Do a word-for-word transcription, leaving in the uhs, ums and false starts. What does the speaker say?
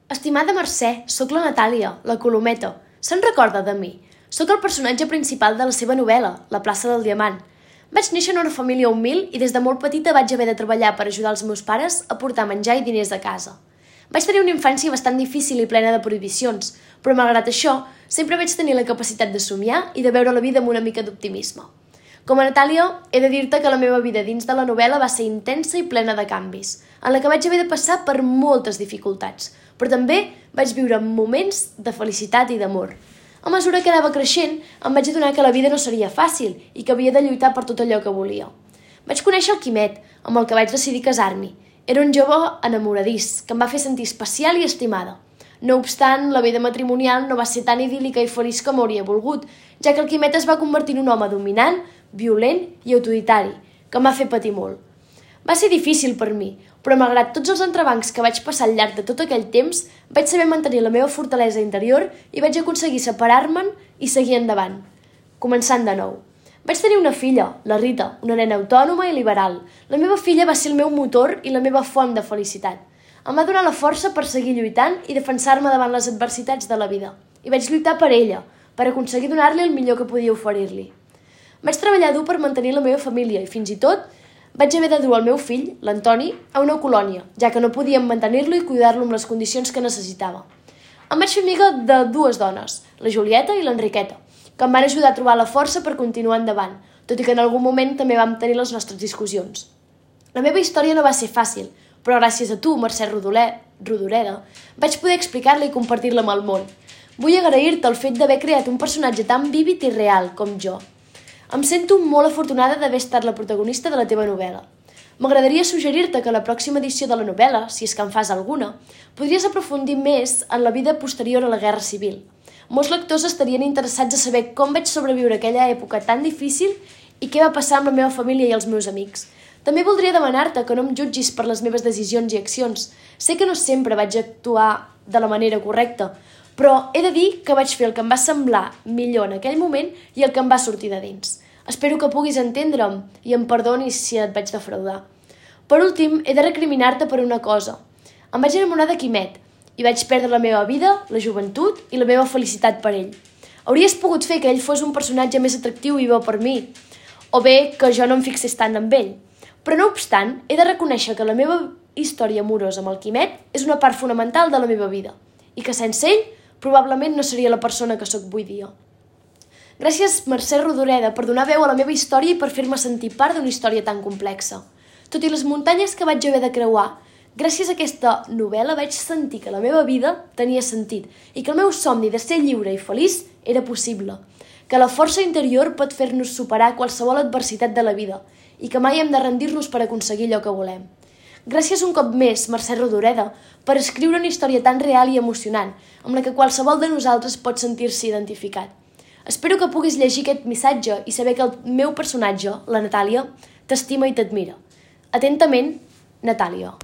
Estimada Mercè, sóc la Natàlia, la Colometa. Se'n recorda de mi? Sóc el personatge principal de la seva novel·la, La plaça del Diamant. Vaig néixer en una família humil i des de molt petita vaig haver de treballar per ajudar els meus pares a portar menjar i diners a casa. Vaig tenir una infància bastant difícil i plena de prohibicions, però malgrat això, sempre vaig tenir la capacitat de somiar i de veure la vida amb una mica d'optimisme. Com a Natàlia, he de dir-te que la meva vida dins de la novel·la va ser intensa i plena de canvis, en la que vaig haver de passar per moltes dificultats, però també vaig viure moments de felicitat i d'amor. A mesura que anava creixent, em vaig adonar que la vida no seria fàcil i que havia de lluitar per tot allò que volia. Vaig conèixer el Quimet, amb el que vaig decidir casar-m'hi. Era un jove enamoradís, que em va fer sentir especial i estimada. No obstant, la vida matrimonial no va ser tan idíl·lica i feliç com hauria volgut, ja que el Quimet es va convertir en un home dominant, violent i autoritari, que em va fer patir molt. Va ser difícil per mi, però malgrat tots els entrebancs que vaig passar al llarg de tot aquell temps, vaig saber mantenir la meva fortalesa interior i vaig aconseguir separar-me'n i seguir endavant, començant de nou. Vaig tenir una filla, la Rita, una nena autònoma i liberal. La meva filla va ser el meu motor i la meva font de felicitat. Em va donar la força per seguir lluitant i defensar-me davant les adversitats de la vida. I vaig lluitar per ella, per aconseguir donar-li el millor que podia oferir-li. Vaig treballar dur per mantenir la meva família i fins i tot vaig haver de dur el meu fill, l'Antoni, a una colònia, ja que no podíem mantenir-lo i cuidar-lo amb les condicions que necessitava. Em vaig fer amiga de dues dones, la Julieta i l'Enriqueta, que em van ajudar a trobar la força per continuar endavant, tot i que en algun moment també vam tenir les nostres discussions. La meva història no va ser fàcil, però gràcies a tu, Mercè Rodoreda, vaig poder explicar-la i compartir-la amb el món. Vull agrair-te el fet d'haver creat un personatge tan vívid i real com jo. Em sento molt afortunada d'haver estat la protagonista de la teva novel·la. M'agradaria suggerir-te que a la pròxima edició de la novel·la, si és que en fas alguna, podries aprofundir més en la vida posterior a la Guerra Civil. Molts lectors estarien interessats a saber com vaig sobreviure aquella època tan difícil i què va passar amb la meva família i els meus amics. També voldria demanar-te que no em jutgis per les meves decisions i accions. Sé que no sempre vaig actuar de la manera correcta, però he de dir que vaig fer el que em va semblar millor en aquell moment i el que em va sortir de dins. Espero que puguis entendre'm i em perdonis si et vaig defraudar. Per últim, he de recriminar-te per una cosa. Em vaig enamorar de Quimet i vaig perdre la meva vida, la joventut i la meva felicitat per ell. Hauries pogut fer que ell fos un personatge més atractiu i bo per mi, o bé que jo no em fixés tant amb ell. Però no obstant, he de reconèixer que la meva història amorosa amb el Quimet és una part fonamental de la meva vida i que sense ell probablement no seria la persona que sóc avui dia. Gràcies, Mercè Rodoreda, per donar veu a la meva història i per fer-me sentir part d'una història tan complexa. Tot i les muntanyes que vaig haver de creuar, gràcies a aquesta novel·la vaig sentir que la meva vida tenia sentit i que el meu somni de ser lliure i feliç era possible, que la força interior pot fer-nos superar qualsevol adversitat de la vida i que mai hem de rendir-nos per aconseguir allò que volem. Gràcies un cop més, Mercè Rodoreda, per escriure una història tan real i emocionant, amb la que qualsevol de nosaltres pot sentir-se identificat. Espero que puguis llegir aquest missatge i saber que el meu personatge, la Natàlia, t'estima i t'admira. Atentament, Natàlia.